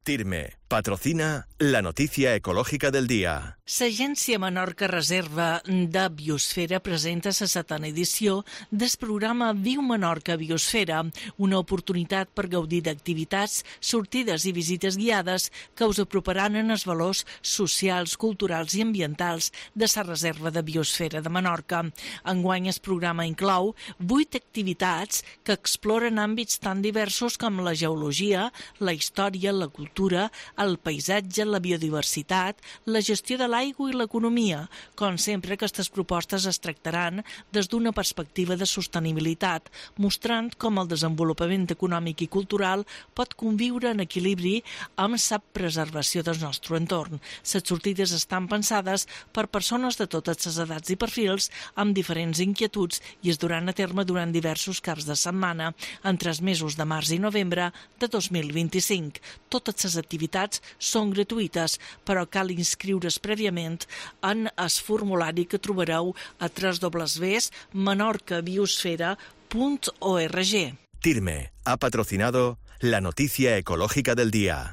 TIRME patrocina la noticia ecológica del día. L'Agència Menorca Reserva de Biosfera presenta la 7a edició del programa Viu Menorca Biosfera, una oportunitat per gaudir d'activitats, sortides i visites guiades que us aproparan en els valors socials, culturals i ambientals de la Reserva de Biosfera de Menorca. Enguany el programa inclou 8 activitats que exploren àmbits tan diversos com la geologia, la història, la cultura, el paisatge, la biodiversitat, la gestió de l'aigua i l'economia. Com sempre, aquestes propostes es tractaran des d'una perspectiva de sostenibilitat, mostrant com el desenvolupament econòmic i cultural pot conviure en equilibri amb la preservació del nostre entorn. Les sortides estan pensades per persones de totes les edats i perfils amb diferents inquietuds i es duran a terme durant diversos caps de setmana entre els mesos de març i novembre de 2025. Totes les activitats són gratuïtes, però cal inscriure's prèviament en el formulari que trobareu a www.menorcabiosfera.org. TIRME ha patrocinado la noticia ecológica del día.